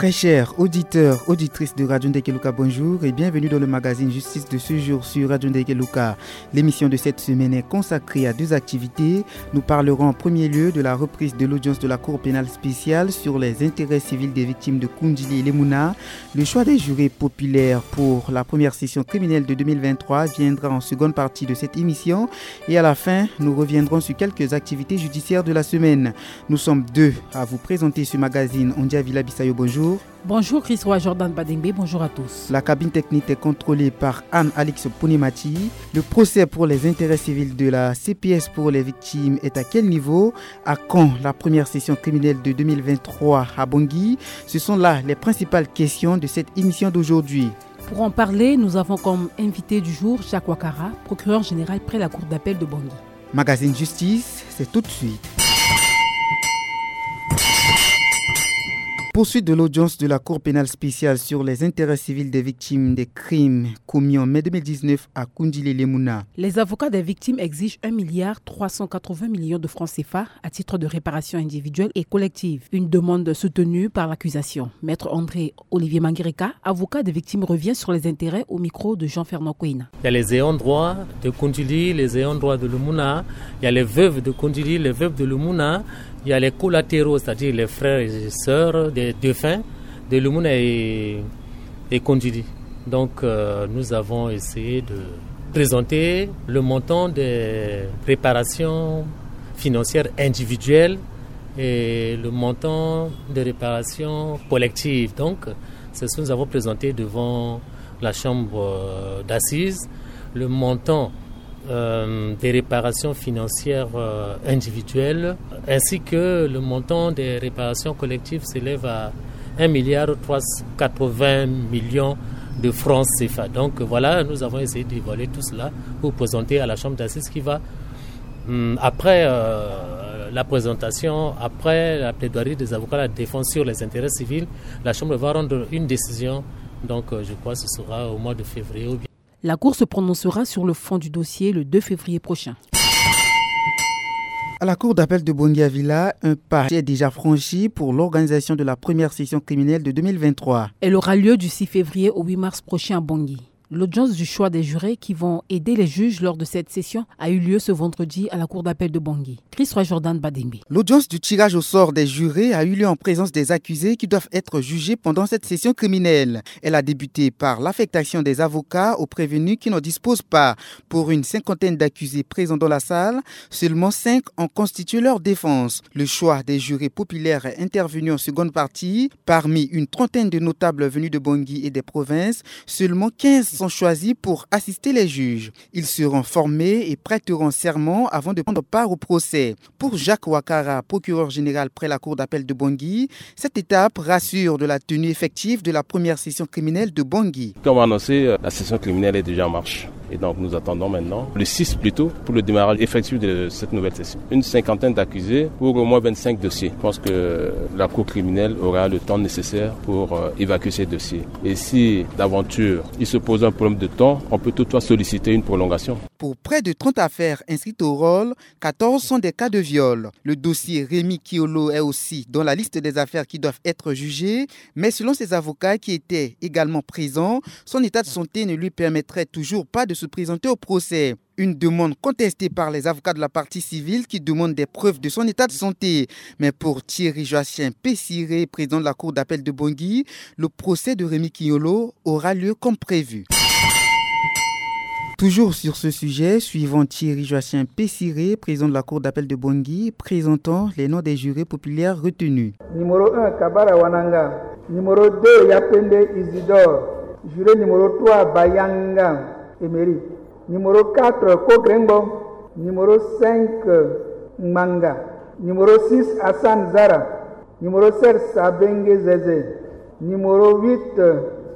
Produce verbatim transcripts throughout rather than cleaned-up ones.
Très chers auditeurs, auditrices de Radio Ndekeluka, bonjour et bienvenue dans le magazine Justice de ce jour sur Radio Ndekeluka. L'émission de cette semaine est consacrée à deux activités. Nous parlerons en premier lieu de la reprise de l'audience de la Cour pénale spéciale sur les intérêts civils des victimes de Kundjili et Lemouna, le choix des jurés populaires pour la première session criminelle de deux mille vingt-trois viendra en seconde partie de cette émission. Et à la fin, nous reviendrons sur quelques activités judiciaires de la semaine. Nous sommes deux à vous présenter ce magazine. Ondia Villa Bissayo, bonjour. Bonjour Christ Roy Jordan Badengbe, bonjour à tous. La cabine technique est contrôlée par Anne-Alix Ponemati. Le procès pour les intérêts civils de la C P S pour les victimes est à quel niveau? À quand la première session criminelle de deux mille vingt-trois à Bangui? Ce sont là les principales questions de cette émission d'aujourd'hui. Pour en parler, nous avons comme invité du jour Jacques Ouattara, procureur général près la cour d'appel de Bangui. Magazine Justice, c'est tout de suite. Poursuite de l'audience de la Cour pénale spéciale sur les intérêts civils des victimes des crimes commis en mai deux mille dix-neuf à Kundjili Lemouna. Les avocats des victimes exigent un milliard trois cent quatre-vingts millions de francs C F A à titre de réparation individuelle et collective. Une demande soutenue par l'accusation. Maître André Olivier Manguereka, avocat des victimes, revient sur les intérêts au micro de Jean-Fernand Kouina. Il y a les ayants droit de Kundjili, les ayants droit de Lemouna, il y a les veuves de Kundjili, les veuves de Lemouna, il y a les collatéraux, c'est-à-dire les frères et sœurs des défunts de Lemouna et, et Kundjili. Donc euh, nous avons essayé de présenter le montant des réparations financières individuelles et le montant des réparations collectives. Donc c'est ce que nous avons présenté devant la chambre euh, d'assises. Le montant euh, des réparations financières euh, individuelles, ainsi que le montant des réparations collectives s'élève à un milliard trois cent quatre-vingts millions de francs C F A. Donc voilà, nous avons essayé de dévoiler tout cela pour présenter à la chambre d'assises qui va, hum, après euh, la présentation, après la plaidoirie des avocats, la défense sur les intérêts civils, la chambre va rendre une décision. Donc euh, je crois que ce sera au mois de février ou bien La Cour se prononcera sur le fond du dossier le deux février prochain. À la Cour d'appel de Bangui-Avila, un pas est déjà franchi pour l'organisation de la première session criminelle de deux mille vingt-trois. Elle aura lieu du six février au huit mars prochain à Bangui. L'audience du choix des jurés qui vont aider les juges lors de cette session a eu lieu ce vendredi à la Cour d'appel de Bangui. Christ Roy Jordan Badengbe. L'audience du tirage au sort des jurés a eu lieu en présence des accusés qui doivent être jugés pendant cette session criminelle. Elle a débuté par l'affectation des avocats aux prévenus qui n'en disposent pas. Pour une cinquantaine d'accusés présents dans la salle, seulement cinq ont constitué leur défense. Le choix des jurés populaires est intervenu en seconde partie. Parmi une trentaine de notables venus de Bangui et des provinces, seulement quinze sont choisis pour assister les juges. Ils seront formés et prêteront serment avant de prendre part au procès. Pour Jacques Ouattara, procureur général près la cour d'appel de Bangui, cette étape rassure de la tenue effective de la première session criminelle de Bangui. Comme annoncé, euh, la session criminelle est déjà en marche. Et donc nous attendons maintenant le six plutôt pour le démarrage effectif de cette nouvelle session. Une cinquantaine d'accusés pour au moins vingt-cinq dossiers. Je pense que la cour criminelle aura le temps nécessaire pour euh, évacuer ces dossiers. Et si d'aventure il se pose un problème de temps, on peut toutefois solliciter une prolongation. Pour près de trente affaires inscrites au rôle, quatorze sont des cas de viol. Le dossier Rémi Kiolo est aussi dans la liste des affaires qui doivent être jugées, mais selon ses avocats qui étaient également présents, son état de santé ne lui permettrait toujours pas de se présenter au procès. Une demande contestée par les avocats de la partie civile qui demandent des preuves de son état de santé. Mais pour Thierry Joachim Pessiré, président de la cour d'appel de Bangui, le procès de Rémi Kiolo aura lieu comme prévu. Toujours sur ce sujet, suivant Thierry Joachim Pessiré, président de la cour d'appel de Bangui, présentons les noms des jurés populaires retenus. Numéro un, Kabara Wananga. Numéro deux, Yapende Isidore. Juré numéro trois, Bayanga Emery. Numéro quatre, Kogrengbo. Numéro cinq, Ngbanga. Numéro six, Hassan Zara. Numéro sept, Sabenge Zeze. Numéro huit,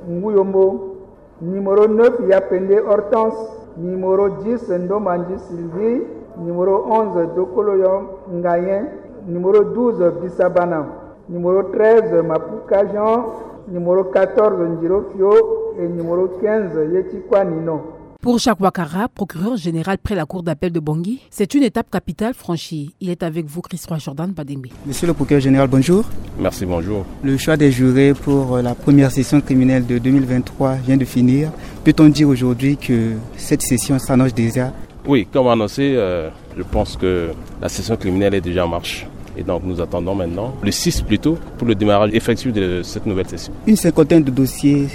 Nguyombo. Numéro neuf, Yapende Hortense. Numéro dix, Ndomandji Sylvie. Numéro onze, Dokoloyo Ngayen. Numéro douze, Bisabana. Numéro treize, Mapuka Jean. Numéro quatorze, Njiro Fio. Et numéro quinze, Yetsikwa Nino. Pour Jacques Ouattara, procureur général près la cour d'appel de Bangui, c'est une étape capitale franchie. Il est avec vous, Christ Roi Jordan Badembe. Monsieur le procureur général, bonjour. Merci, bonjour. Le choix des jurés pour la première session criminelle de deux mille vingt-trois vient de finir. Peut-on dire aujourd'hui que cette session s'annonce déjà ? Oui, comme annoncé, euh, je pense que la session criminelle est déjà en marche. Et donc nous attendons maintenant le six plutôt pour le démarrage effectif de cette nouvelle session. Une cinquantaine de dossiers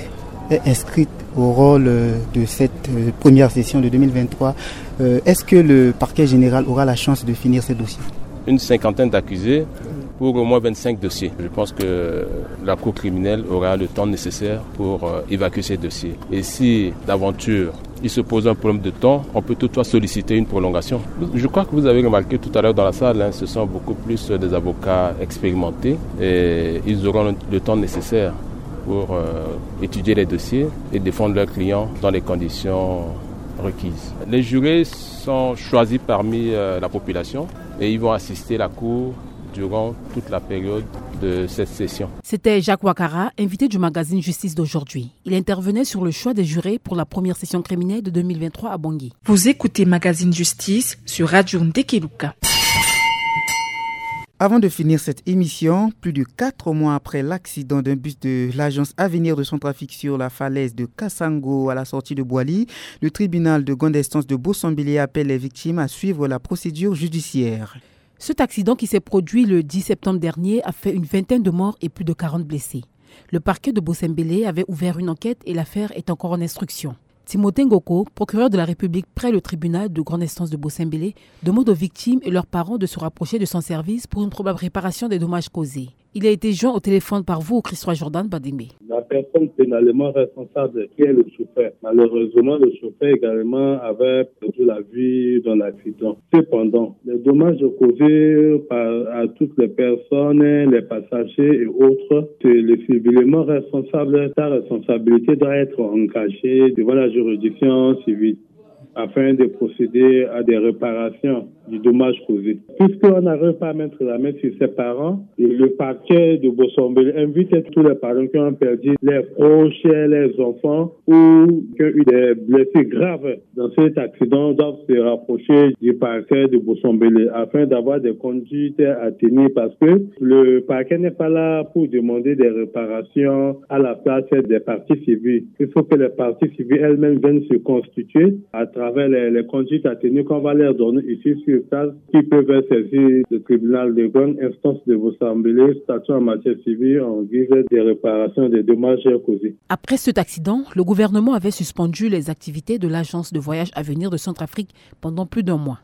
est inscrite au rôle de cette euh, première session de deux mille vingt-trois. Euh, est-ce que le parquet général aura la chance de finir ces dossiers ? Une cinquantaine d'accusés pour au moins vingt-cinq dossiers. Je pense que la Cour criminelle aura le temps nécessaire pour euh, évacuer ces dossiers. Et si d'aventure il se pose un problème de temps, on peut toutefois solliciter une prolongation. Je crois que vous avez remarqué tout à l'heure dans la salle, hein, ce sont beaucoup plus des avocats expérimentés et ils auront le temps nécessaire pour euh, étudier les dossiers et défendre leurs clients dans les conditions requises. Les jurés sont choisis parmi euh, la population et ils vont assister la Cour durant toute la période de cette session. C'était Jacques Ouattara, invité du magazine Justice d'aujourd'hui. Il intervenait sur le choix des jurés pour la première session criminelle de deux mille vingt-trois à Bangui. Vous écoutez Magazine Justice sur Radio Ndekeluka. Avant de finir cette émission, plus de quatre mois après l'accident d'un bus de l'agence Avenir de Centrafrique sur la falaise de Kassango à la sortie de Boali, le tribunal de grande instance de Bossambélé appelle les victimes à suivre la procédure judiciaire. Cet accident qui s'est produit le dix septembre dernier a fait une vingtaine de morts et plus de quarante blessés. Le parquet de Bossambélé avait ouvert une enquête et l'affaire est encore en instruction. Timothée Ngoko, procureur de la République près le tribunal de grande instance de Bossambélé, demande aux victimes et leurs parents de se rapprocher de son service pour une probable réparation des dommages causés. Il a été joint au téléphone par vous, Christ Roi Jordan Badembe. La personne pénalement responsable, qui est le chauffeur. Malheureusement, le chauffeur également avait perdu la vie dans l'accident. Cependant, les dommages causés par, à toutes les personnes, les passagers et autres, c'est le civilement responsable. Sa responsabilité doit être engagée devant la juridiction civile afin de procéder à des réparations du dommage causé. Puisqu'on n'arrive pas à mettre la main sur ses parents, le parquet de Bossambélé invite tous les parents qui ont perdu leurs proches, leurs enfants ou qui ont eu des blessés graves dans cet accident doivent se rapprocher du parquet de Bossambélé afin d'avoir des conduites à tenir parce que le parquet n'est pas là pour demander des réparations à la place des parties civiles. Il faut que les parties civiles elles-mêmes viennent se constituer à travers les, les conduites à tenir qu'on va leur donner ici sur place, qui peuvent être saisies du tribunal de grande instance de Bossambélé, statuant en matière civile en guise de réparation des dommages causés. Après cet accident, le gouvernement avait suspendu les activités de l'agence de voyage Avenir de Centrafrique pendant plus d'un mois.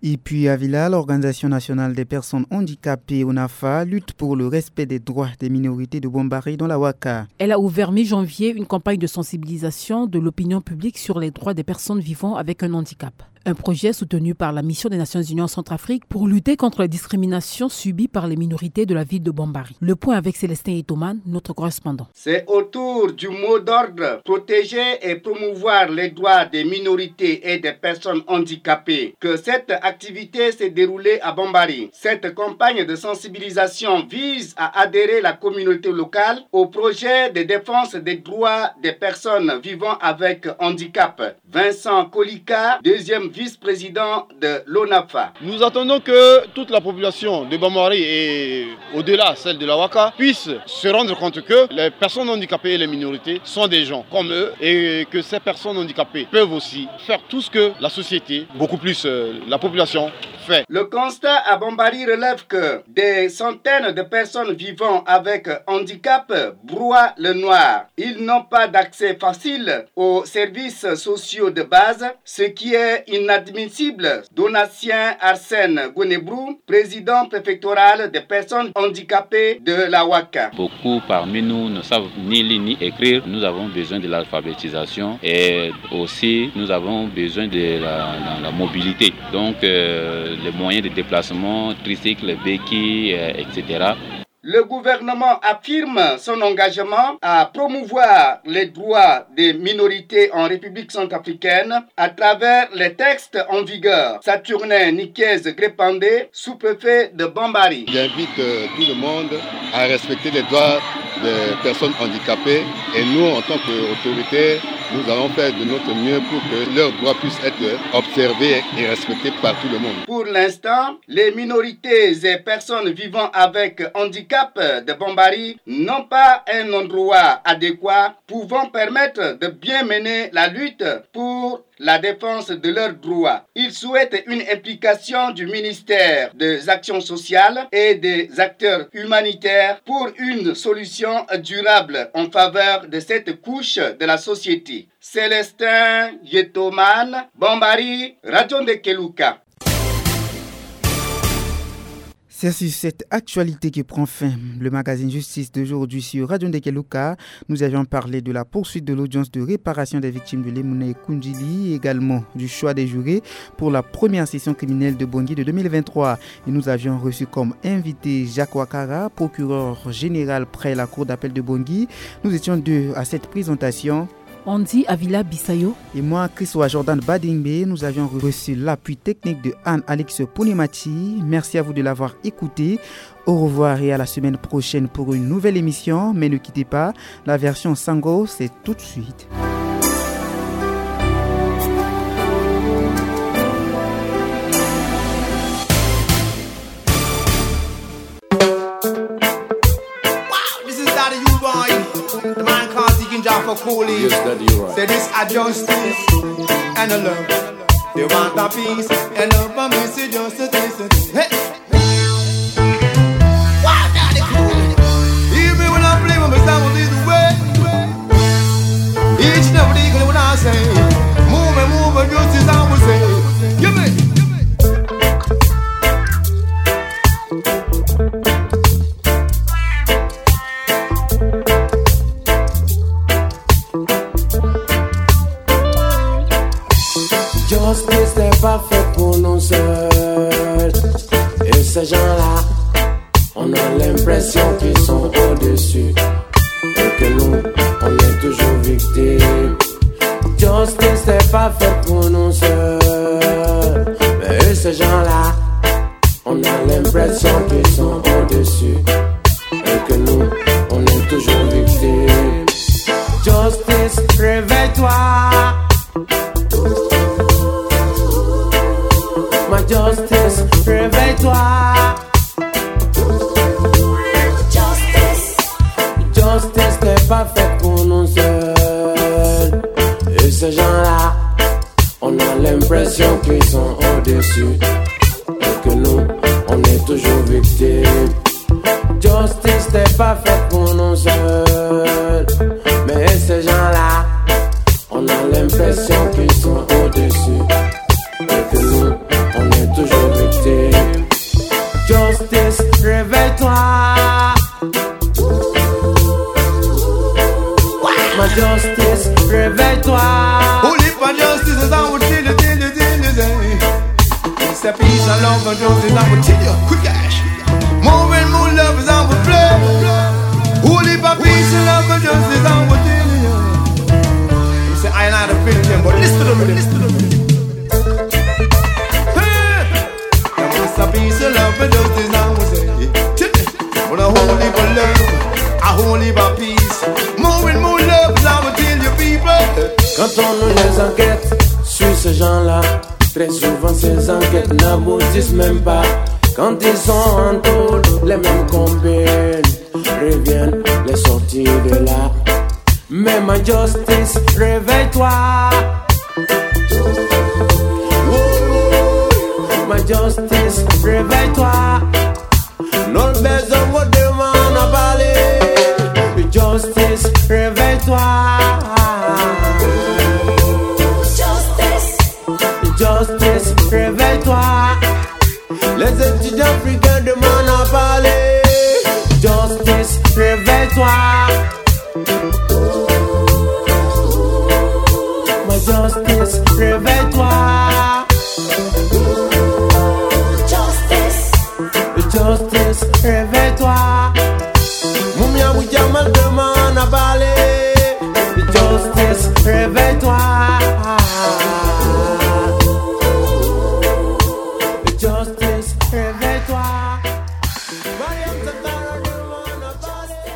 Et puis à Vila, l'Organisation nationale des personnes handicapées, ONAFA, lutte pour le respect des droits des minorités de Bombari dans la Waka. Elle a ouvert mi-janvier une campagne de sensibilisation de l'opinion publique sur les droits des personnes vivant avec un handicap. Un projet soutenu par la Mission des Nations Unies en Centrafrique pour lutter contre les discriminations subies par les minorités de la ville de Bombari. Le point avec Célestin Etoman, notre correspondant. C'est autour du mot d'ordre protéger et promouvoir les droits des minorités et des personnes handicapées que cette activité s'est déroulée à Bombari. Cette campagne de sensibilisation vise à adhérer la communauté locale au projet de défense des droits des personnes vivant avec handicap. Vincent Kolika, deuxième vice-président de l'ONAFA. Nous attendons que toute la population de Bombari et au-delà, celle de la Waka, puisse se rendre compte que les personnes handicapées et les minorités sont des gens comme eux et que ces personnes handicapées peuvent aussi faire tout ce que la société, beaucoup plus euh, la population, fait. Le constat à Bombari relève que des centaines de personnes vivant avec handicap broient le noir. Ils n'ont pas d'accès facile aux services sociaux de base, ce qui est inadmissible. Donatien Arsène Gonebrou, président préfectoral des personnes handicapées de la Waka. Beaucoup parmi nous ne savent ni lire ni écrire. Nous avons besoin de l'alphabétisation et aussi nous avons besoin de la, la, la mobilité. Donc euh, les moyens de déplacement, tricycle, béquille, euh, et cetera. Le gouvernement affirme son engagement à promouvoir les droits des minorités en République centrafricaine à travers les textes en vigueur. Saturnin Nikiez Grépandé, sous-préfet de Bombari. J'invite euh, tout le monde à respecter les droits des personnes handicapées et nous, en tant qu'autorités, Nous allons faire de notre mieux pour que leurs droits puissent être observés et respectés par tout le monde. Pour l'instant, les minorités et personnes vivant avec handicap de Bambari n'ont pas un endroit adéquat pouvant permettre de bien mener la lutte pour la défense de leurs droits. Ils souhaitent une implication du ministère des Actions sociales et des acteurs humanitaires pour une solution durable en faveur de cette couche de la société. Célestin Yetoman, Bambari, Radio Ndekeluka. C'est sur cette actualité que prend fin le magazine Justice d'aujourd'hui sur Radio Ndekeluka. Nous avions parlé de la poursuite de l'audience de réparation des victimes de Lemouna et Kundjili, également du choix des jurés pour la première session criminelle de Bangui de deux mille vingt-trois. Et nous avions reçu comme invité Jacques Ouattara, procureur général près la cour d'appel de Bangui. Nous étions deux à cette présentation. Andy Avila Bissayo. Et moi, Christoa Jordan Badingbe, nous avions reçu l'appui technique de Anne-Alix Pounemati. Merci à vous de l'avoir écouté. Au revoir et à la semaine prochaine pour une nouvelle émission. Mais ne quittez pas, la version Sango, c'est tout de suite. Wow, this is Daddy U-Boy. The man called Deacon Jaffa Cooley. Yes, Daddy U-Boy. Say this a justice and a love. They want a peace and love, but me say justice. Hey. Wow, Daddy Cooley. Even when I play with my sound, this way. Each and every day, when I say, move and move and justice, I will say, give me. Justice n'est pas faite pour nous seuls. Et ces gens-là, on a l'impression qu'ils sont au-dessus. Et que nous, on est toujours victimes. Justice n'est pas faite pour nous seuls. Mais ces gens-là, on a l'impression qu'ils sont au-dessus. Et que nous, on est toujours victimes. Justice, réveille-toi. Ma justice, réveille-toi. Justice. Justice n'est pas faite pour nous seuls. Et ces gens-là, on a l'impression qu'ils sont au-dessus. Et que nous, on est toujours victimes. Justice n'est pas faite pour nous seuls. Mais ces gens-là, on a l'impression qu'ils sont au-dessus. Et que nous, on est toujours victimes. Justice, réveille-toi. Ma justice, réveille-toi. Holy for justice is our till, till, till, till, till. It's a peace and love for justice, I will tell you, quick cash. More and more love is our play. Holy for peace and love for justice, I will tell you. It's a island of victim, but listen to me, listen to me. Hey! There must a peace and love for justice, I will say. Tell me. But a holy for love, a holy for peace. More and more love is our till, you people. Quand on nous les enquête sur ces gens-là, très souvent ces enquêtes n'aboutissent même pas. Quand ils sont en tôle, les mêmes compagnes reviennent les sortir de là. Mais ma justice, réveille-toi. Ma justice, réveille-toi. Nos besoins, on demande à parler. Justice, réveille-toi. Justice. Justice, réveille-toi. Les étudiants africains demandent à parler. Justice, réveille-toi. Ma justice, réveille-toi. Justice. Justice, réveille-toi. Mumia Jamal demande à parler. Justice, réveille-toi. Justice, réveille-toi. Mariam Satara demande à parler.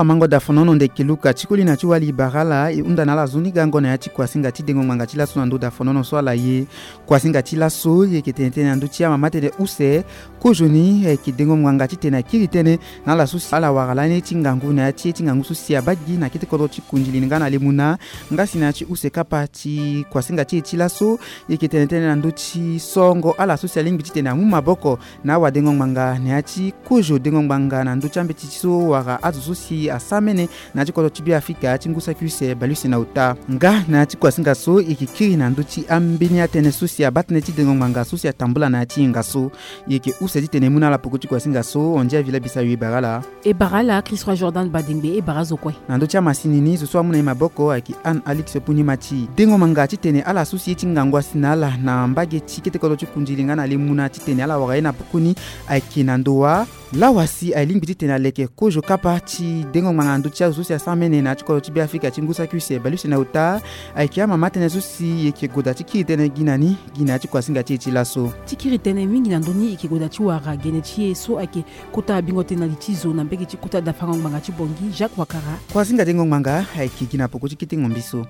Amango dafonono ndeke luka ti koli na ti wali bara ala e hunda na ala zo ni gango na ya ti kuasinga ti dengo ngbanga ti laso na ndö dafonono so ala ye. Kuasinga ti laso e yeke tene tënë na ndö ti amama tënë use. Kozoni ayeke dengo ngbanga titene akiri tënë na ala so si ala wara lani ti ngangu na ya ti ye ti ngangu so si abaa gi na kete kodro ti kundili nga na lemuna. Nga si na ya ti use kapa ti kuasinga ti e ti laso, e yeke tene tënë na ndö ti sorongo ala so si alingbi titene amu maboko na awadengo ngbanga na ya ti kozo dengo ngbanga na ndö ti ambeti ti so wala azo so si asara mene na ya ti kodro ti Beafrika ti ngu saki use baleuse na ota. Nga na ya ti kuasinga so e yeke kiri na ndö ti ambeni atënë so si abaa tënë ti dengo ngbanga so si atambula na ya ti hinga so. E yeke use titene e mu na ala peko ti kuasinga so. Hondia Villa Bisayo e bara ala. E bara ala Christ Roi Jordan Badengbe, e bara azo kue. Na ndö ti amasini ni zo so amu na e maboko ayeke Anne Alix Puni Mati. Dengo ngbanga titene ala so si ye ti ngangu asi na ala na mbage ti kete kodro ti kundili nga na lemuna titene ala wara ye na pokoni ayeke na ndo wa. Lawa si alingbi titene aleke kozo kapa ti dengo ngbanga na ndö ti azo so si asara mene na ya ti kodro ti Beafrika ti ngu saki use baleuse na ota. Ayeke amama tënë so si e yeke goda ti kiri tënë gi na ni gi na ya ti kuasinga ti e ti laso. Ti kiri tënë mingi na ndö ni e yeke goda ti wara gene ti e so ayeke kota abingo tënë na li ti zo na mbage ti kota dafango ngbanga ti Bongi, Jacques Wakara. Kuasinga dengo ngbanga ayeke gi na peko ti kete ngombi so.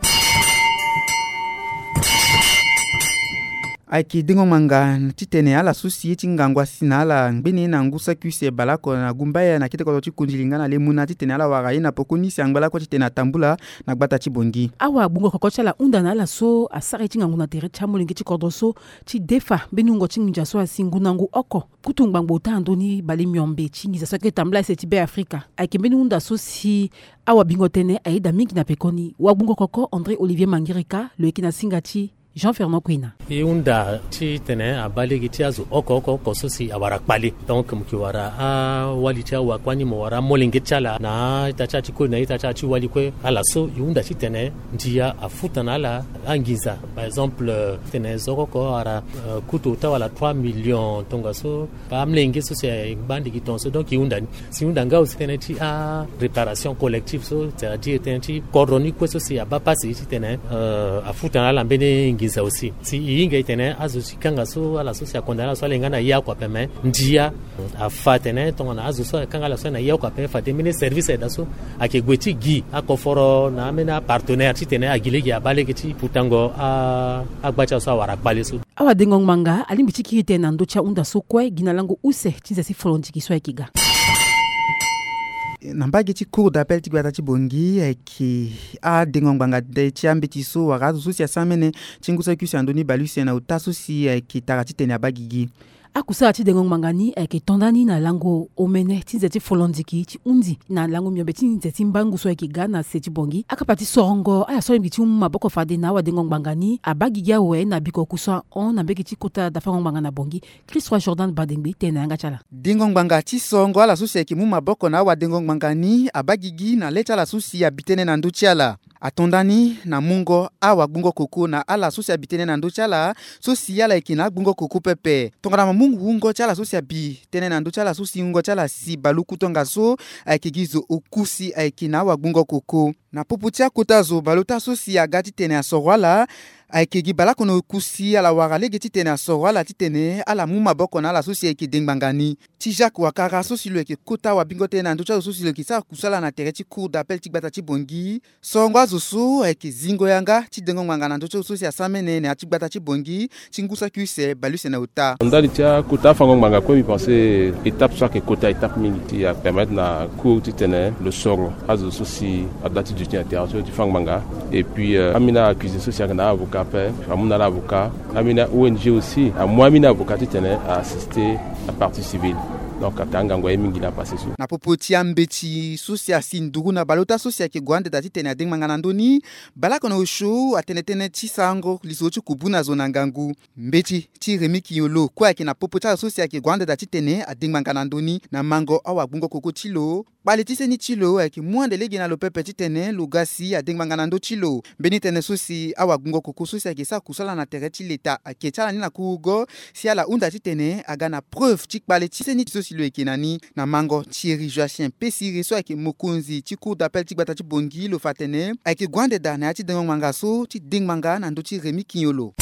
Ayeke dengo ngbanga titene ala so si ye ti ngangu asi na ala ngbene na ngu saki use baleoko na gumbaya na kete kodro ti kundili nga na lemuna titene ala wara ye na peko ni si angba lakue titene atambula na gbata ti Bongi. Awagbungo koko ti ala hunda na ala so asara ye ti ngangu na tere ti amolenge ti kodro so ti defa mbeni wungo ti nginza so asi ngundangu oko. Kutu ngbangbo ota na ndö ni bale miombe ti nginza so ayeke tambula ese ti Beafrika. Ayeke mbeni hunda so si awabingo tënë ayeda mingi na pekoni. Wagbungo koko André Olivier Mangirika lo yeke na singa ti Jean Fernand Kwena. E hunda titene abaa lege ti azo oko oko oko so si awara kpale. Donc mo yeke wara awali ti awakua ni, mo wara amolenge ti ala na a-ita ti ala ti koli na a-ita ti ala ti wali kue. Ala so e hunda titene ndia afuta na ala anginza. Par exemple, titene zo oko oko awara, euh, kutu ota wala trois millions tongaso. Amolenge so si angba ande gi tongaso. Donc e hunda ni. Si e hunda nga aussi tënë ti aréparation collective so, c'est-à-dire tënë ti kodro ni kue so si abaa pasi titene, euh, afuta na ala mbeni nginza aussi. Si e hinga e tene azo ti kanga so, ala so si akonda na ala so ala ye nga na ye oko ape, me ndia afa atene tongana azo so akanga ala so na ye oko ape, fade mbeni service aye daa so ayeke gue ti gi akoforo na ambeni apartenaire titene agi lege abaa lege ti futango a, agba ti ala so awara kpale so. Awadengo ngbanga alingbi ti kiri tënë na ndö ti ahunda so kue gi na lango use ti nze ti folondiki so ayeke ga. Na mbage ti cour d'appel ti gbata ti Bongi ayeke adengo ngbanga de ti ambeti so wala azo so si asara mene ti ngu saki use na ndö ni baleuse na ota so si ayeke tara titene abaa gigi. Akusala ti dengo ngbanga ni ayeke to nda ni na lango omene ti nze ti folondiki ti hundi na lango miombe ti nze ti mbangu so ayeke ga na se ti Bongi. Akapa ti sorongo ala so alingbi ti mu maboko fade na awadengo ngbanga ni abaa gigi awe na bikoko so ahon na mbage ti kota dafango ngbanga na Bongi. Christ Roi Jordan Badengbe tene na yanga ti ala. Dengo ngbanga ti sorongo ala so si ayeke mu maboko na awadengo ngbanga ni abaa gigi na le ti ala so si abi tënë na ndö ti ala. Ato nda ni na mungo awagbungo koko na ala so si abi tënë na ndö ti ala so si ala yeke na agbungo koko pepe. Tongana mo mu wungo ti ala so si abi tënë na ndö ti ala so si wungo ti ala si baluku tongaso, ayeke gi zo oku si ayeke na awagbungo koko. Na popo ti akota zo baleota so si aga titene asoro ala, ayeke gi baleoko na oku si ala wara lege titene asoro ala titene ala mu maboko na ala so si ayeke dengbanga ni. Ti Jacques Wakara so si lo yeke kota wabingo tënë na ndö ti azo so si lo yeke sara kusala na tere ti cour d'appel ti gbata ti Bongi. Sorongo azo so ayeke zingo yanga ti dengo ngbanga na ndö ti azo so si asara mene na ya ti gbata ti Bongi ti ngu saki use baleuse na ota. Ndali ti akota afango ngbanga kue, mbi pense étape so ayeke kota étape mingi ti apermettre na cour titene lo soro azo so si adoit ti duti na tere so ti fa ngbanga. Et puis, euh, ambeni accusé so si ayeke na avocat ape, amu na ala avocat. Ambeni O N G aussi amu ambeni avocat titene a-assister apartie civile. Donc ayeke angangu aye mingi na apase so. Na popo ti ambeti so si asi nduru na baleota so si ayeke gue ande daa titene adengbanga na ndö ni, baleoko na osio atene tënë ti sarango lisoro ti kubu na zo na ngangu. Mbeti ti Rémy Quignolo kue ayeke na popo ti azo so si ayeke gue ande daa titene adengbanga na ndö ni na mango awagbungo koko ti lo. Kpale ti seni ti lo ayeke mu ande lege na lo pepe titene lo ga si adengbanga na ndö ti lo. Mbeni tënë so si awagbungo koko so si ayeke sara kusala na tere ti leta ayeke ti ala ni na kurugo si ala hunda titene aga na preuve ti kpale ti seni so si lo yeke na ni. Na mango Thierry Joachim Pessire so ayeke mokonzi ti cour d'appel ti gbata ti Bongi, lo fa atene ayeke gue ande daa na ya ti dengo ngbanga so ti dengbanga na ndö ti Rémy Quignolo.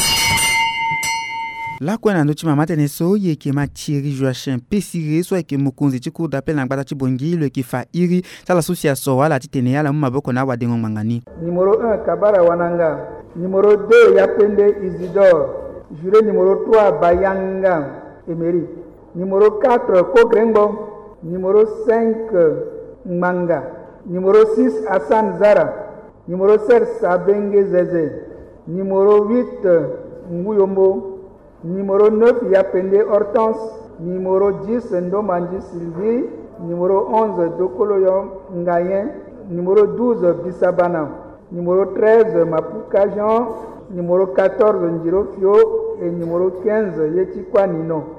Lakue na ndö ti mama tënë so, e yeke ma Thierry Joachim Pessire so ayeke mokonzi ti cour d'appel na gbata ti Bangui, lo yeke fa iri ti ala so si asoro ala titene ala mu maboko na awadengo ngbanga ni. Numéro un, Kabara Wananga. Numéro deux, Yapende Isidore. Juré numéro trois, Bayanga Emery. Numéro quatre, Kogrengbo. Numéro cinq, Ngbanga. Numéro six, Hassan Zara. Numéro sept, Sabenge Zeze. Numéro huit, Nguyombo. Numéro neuf, Yapende Hortense. Numéro dix, Ndomandji Sylvie. Numéro onze, Dokoloyo Ngayen. Numéro douze, Bisabana. Numéro treize, Mapuka Jean. Numéro quatorze, Njiro Fio. Et numéro quinze, Yeti Kwanino.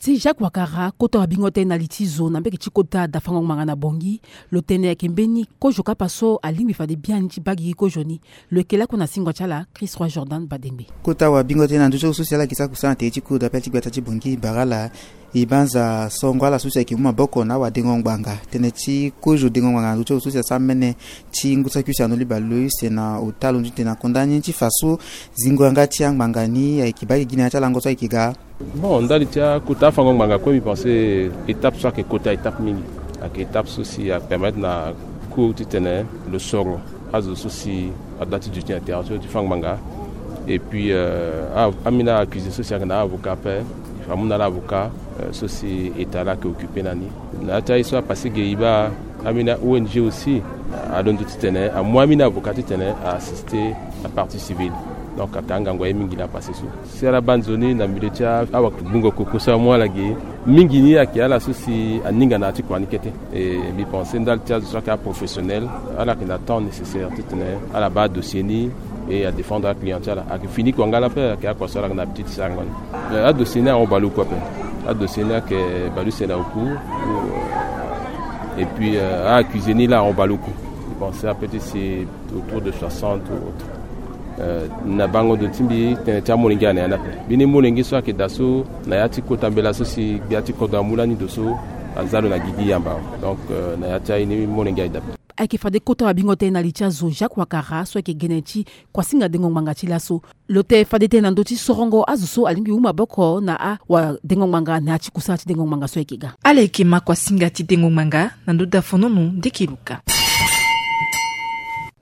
Ti Jacques Wakara, kota wabingo tënë na li ti zo na mbege ti kota dafango ngbanga na Bangui, lo tene ayeke mbeni kozo kapa so alingbi fade biani ti baa gigi kozo ni. Lo yeke lakue na singua ti ala Christ Roi Jordan Badengbe. Kota wabingo tënë na ndö ti azo so si ala yeke sara kusana na tere ti cour d'appel ti gbata ti Bangui bara ala e banza songo ala so si ayeke mu maboko na awadengo ngbanga. Tënë ti kozo dengo ngbanga na ndö ti azo so si asara mene ti ngu saki use na ndo liba lo use na ota lo ndu ti tene na konda ni ti fa so zingo yanga ti angbanga ni ayeke baa gigi na ya ti alango so ayeke ga. Bon, ndali ti akota afango ngbanga kue, mbi pense étape so ayeke kota étape mingi. Ayeke étape so si apermettre na cour titene lo soro azo so si adoit ti duti na terrain so ti fa ngbanga. Et puis euh, a- ambeni accusé so si ayeke na avocat ape, il faut amu na ala avocat euh, so si état la ayeke occupé na ni. Na ya ti aye so apassé ge e baa ambeni a-O N G aussi alondo titene amu ambeni avocat titene a-assister la partie civile. Donc ayeke angangu aye mingi la apassé so. Si ala baa nzoni na milieu ti a- awagbungo koko so amu ala ge, mingi ni ayeke ala so si aninga na ya ti kua ni kete. E mbi pense ndali ti azo so ayeke aprofessionnel, ala yeke na temps nécessaire titene ala baa adossier ni e adéfendre aclient ti ala. Ayeke fini kua nga la ape, ayeke akua so ala yeke na habitude ti sarango ni. Euh, adossier ni ahon baleoku ape. Adossier ni ayeke baleuse na oku. Et puis euh, a-accusé ni la ahon baleoku. Mbi pense ape ti si autour de soixante ou autre. Euh, na bango ndo ti mbi tënë ti amolenge ayeke na ya ni ape. Mbeni molenge so ayeke daa so na ya ti kota mbela so si gbia ti kodro amu lani ndo so aza lo na gigi yamba. Donc euh, na ya ti aye ni molenge ayeke daa ape. Ayeke fade kota wabingo tënë na li ti azo Jacques Wakara so ayeke gene ti kuasinga dengo ngbanga ti laso. Lo tene fade tënë na ndö ti sorongo azo so alingbi mu maboko na awadengo ngbanga na ya ti kusala ti dengo ngbanga so ayeke ga. Ala yeke ma kuasinga ti dengo ngbanga na ndö dafonono ndeke luka.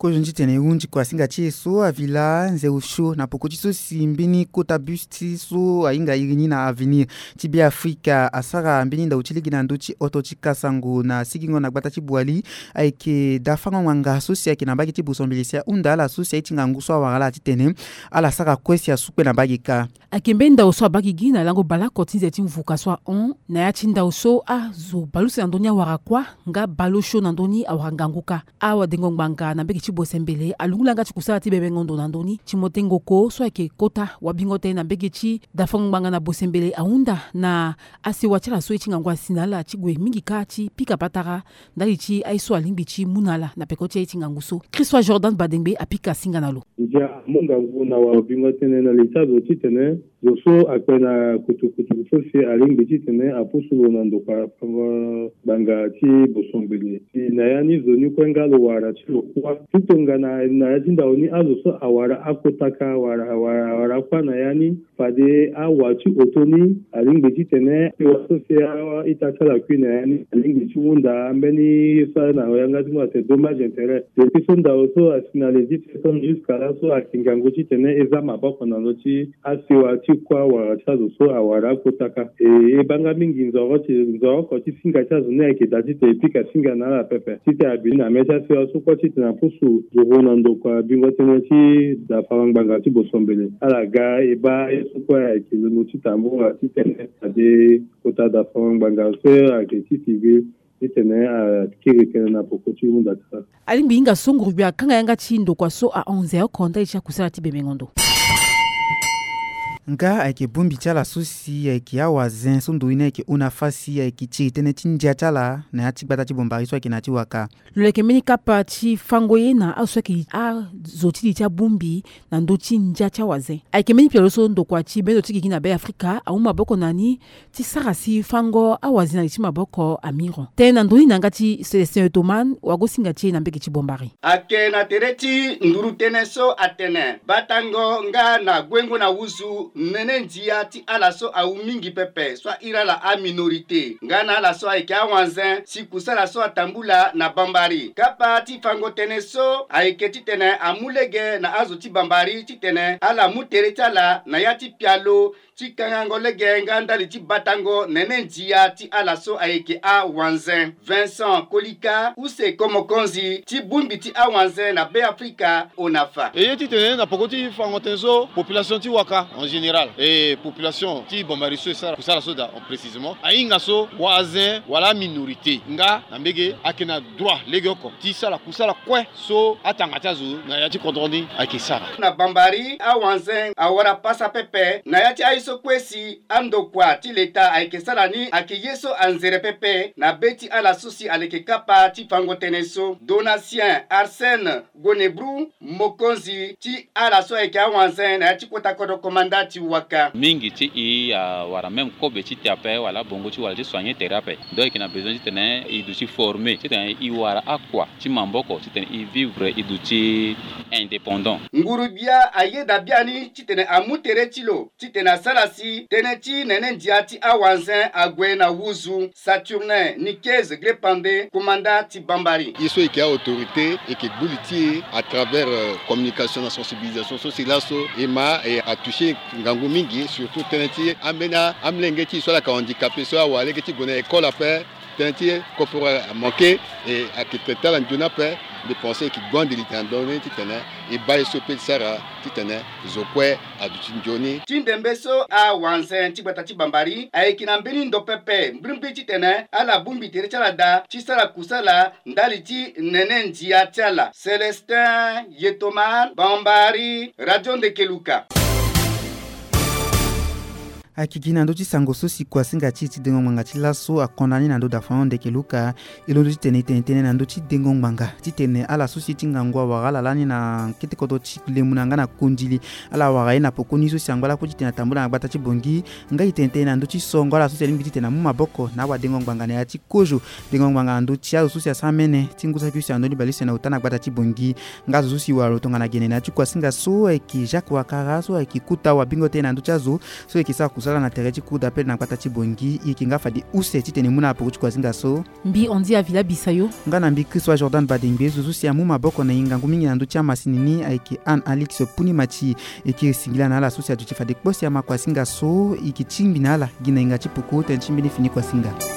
Kozo ni titene e hunzi kuasinga ti e so avi laa nze osio na poko ti so si mbeni kota bus ti so ahinga iri ni na Avenir ti Beafrika asara mbeni ndau ti lege na ndö ti oto ti kasango na sigingo na gbata ti Boali. Ayeke dafango ngbanga so si ayeke na mbage ti Bosombele si ahunda ala so si aye ti ngangu so awara ala titene ala sara kue si asu kue na mbage kâ. Ayeke mbeni ndau so abaa gigi na lango baleoko ti nze ti mvuka so ahon na ya ti ndau so azo baleuse na ndö ni awara kuâ nga baleosio na ndö ni awara ngangu kâ. Awadengo ngbanga na mbage ti Bosembele alungu langa ti kusala ti bebengo ndo na ndö ni. Timothée Ngoko so ayeke kota wabingo tënë na mbage ti dafango ngbanga na Bosembele ahunda na asewa ti ala so ye ti ngangu asi na ala ti gue mingi kâ ti pika patara ndali ti aye so alingbi ti mu na ala na peko ti aye ti ngangu so. Christ Roi Jordan Badengbe apika singa na lo. Ndia amu ngangu na wabingo tënë na li ti azo titene zo so akpe na kutukutu so si alingbi titene apusu lo na ndokua fango ngbanga ti Bosombele. Si na ya ni zo ni kue nga lo wara ti lo kuâ ti tongana na ya ti ndau ni azo so awara akotaka wara, wara, wara kuâ na ya ni. Fade awa ti oto ni alingbi titene asewa so si a-ita ti ala kui na ya ni alingbi ti hunda mbeni ye so na yanga ti mu atene dommage intérêt. Depuis so ndau so asi na le dix septembre jusqu'à là so ayeke ngangu titene e za maboko na lo ti asewa ti kuâ wala ti azo so awara akotaka. E, e baa nga mingi nzoroko ti, nzoroko ti singa ti azo ni ayeke daa titene e pika singa na ala pepe. Titene abi na mê ti asewa so kue titene apusu zuru na ndokua bingo tënë ti dafango ngbanga ti Bosombele. Ala ga e baa ye so kue ayeke londo ti tambula titene fade kota dafango ngbanga so ayeke ti civil titene akiri tënë na poko ti hunda ti ala. Alingbi hinga so nguru gbia akanga yanga ti ndokua so ahon nze oko ndali ti akusala ti bebengo ndo. Nga ayeke bongbi ti ala so si ayeke awazen so ndo ni ayeke hon na fâ si ayeke tiri tënë ti ndia ti ala na ya ti gbata ti Bombari so ayeke na ya ti waka. Lo yeke mbeni kapa ti fango ye na azo so ayeke azo ti li ti abongbi na ndö ti ndia ti awazen. Ayeke mbeni pialo so ndokua ti bendo ti gigi na Be Afrika amu maboko na ni ti sara si fango awazen na li ti maboko amiro. Tënë na ndö ni na yanga ti Célestin Otoman, wagosinga ti e na mbage ti Bombari. Ayeke na tere ti nduru tënë so atene batango nga na guengo na wuzu nene ndia ti ala so awu mingi pepe, so ahiri ala aminorité nga na ala so ayeke awanzen si kusala so atambula na Bambari. Kapa ti fango tënë so ayeke titene amu lege na azo ti Bambari titene ala mu tere ti ala na ya ti pialo ti kangango lege nga ndali ti batango nene ndia ti ala so ayeke awanzen. Vincent Kolika, use ko mokonzi ti bongbi ti awanzen na Be Afrika, hon na fâ. E ye titene na poko ti fango tënë so, population ti waka en général, e population ti Bambari so e sara kusala so daa précisément, ahinga so wazen wala aminorité nga na mbage ayeke na droit legeoko ti sara kusala kue so atanga ti azo na ya ti kodro ni ayeke sara. Na Bambari, awanzen awara pasa pepe na ya ti aye so kue si andokua ti leta ayeke sara ni ayeke ye so anzere pepe na be ti ala so si aleke kapa ti fango tënë so. Donatien Arsène Gonebru, mokonzi ti ala so ayeke awanzen na ya ti kota kodro komanda ti waka. Mingi ti e awara même kobe ti te ape wala bongo ti wara ti soigner tere ape. Donc e yeke na besoin titene e duti former titene e wara akua ti maboko titene e vivre e duti indépendant. Nguru-gbia ayeda biani titene amu tere ti lo titene asara si tënë ti nene ndia ti awanzen ague na wuzu. Saturnin Nikez Grepande, komanda ti Bambari. Ye so e yeke a-autorité e yeke gbu li ti e à travers, euh, communication na sensibilisation so si laso e ma e atoucher ngangu mingi, surtout tënë ti ambeni amolenge ti e so ala yeke handicapé so awara lege ti gue na école ape. Tënë ti koforo amanke e ayeke traité ala nzoni ape. Mbi pense e yeke gue ande li tene na ndö ni titene e baa ye so e peut ti sara titene zo kue aduti nzoni. Ti ndembe so awanzen ti gbata ti Bambari ayeke na mbeni ndo pepe mbrimbri titene ala bongbi tere ti ala daa ti sara kusala ndali ti nene ndia ti ala. Célestin Yetoman, Bambari, Radio Ndekeluka. Akiki na ndö ti sango so si kuasinga ti e ti dengo ngbanga ti laso akonda ni na ndö da Fernand Ndekeluka. E londo titene e tene tënë na ndö ti dengo ngbanga titene ala so si e ti ngangu awara ala lani na kete kodro ti Lemuna nga na Kondili. Ala wara ye na pokoni so si angba lakue titene atambula na gbata ti Bongi. Nga e tene tënë na ndö ti songo ala so si alingbi titene amu maboko na awadengo ngbanga na ya ti kozo. Dengo ngbanga na ndö ti azo so si asara mene ti ngu saki use na ndö ni bale use na ota na gbata ti Bongi. Nga azo so si wara lo tongana gene na ya ti kuasinga so ayeke Jacques Ouattara so ayeke kota wabingo tënë na ndö ti azo so e yeke sara kusala na tere ti cour d'appel na gbata ti Bongi. E yeke nga fade use titene e mu na ala peko ti kuasinga so. Mbi Andy Avila Bisayo. Nga na mbi Christ wa Jordan Badengbe, zo so si amu maboko na e ngangu mingi na ndö ti amasini ni ayeke Anne Alix Puni Mati. E yeke singila na ala so si aduti fade kpo si ama kuasinga so, e yeke tingbi na ala gi na hinga ti poko tënë ti mbeni fini kuasinga.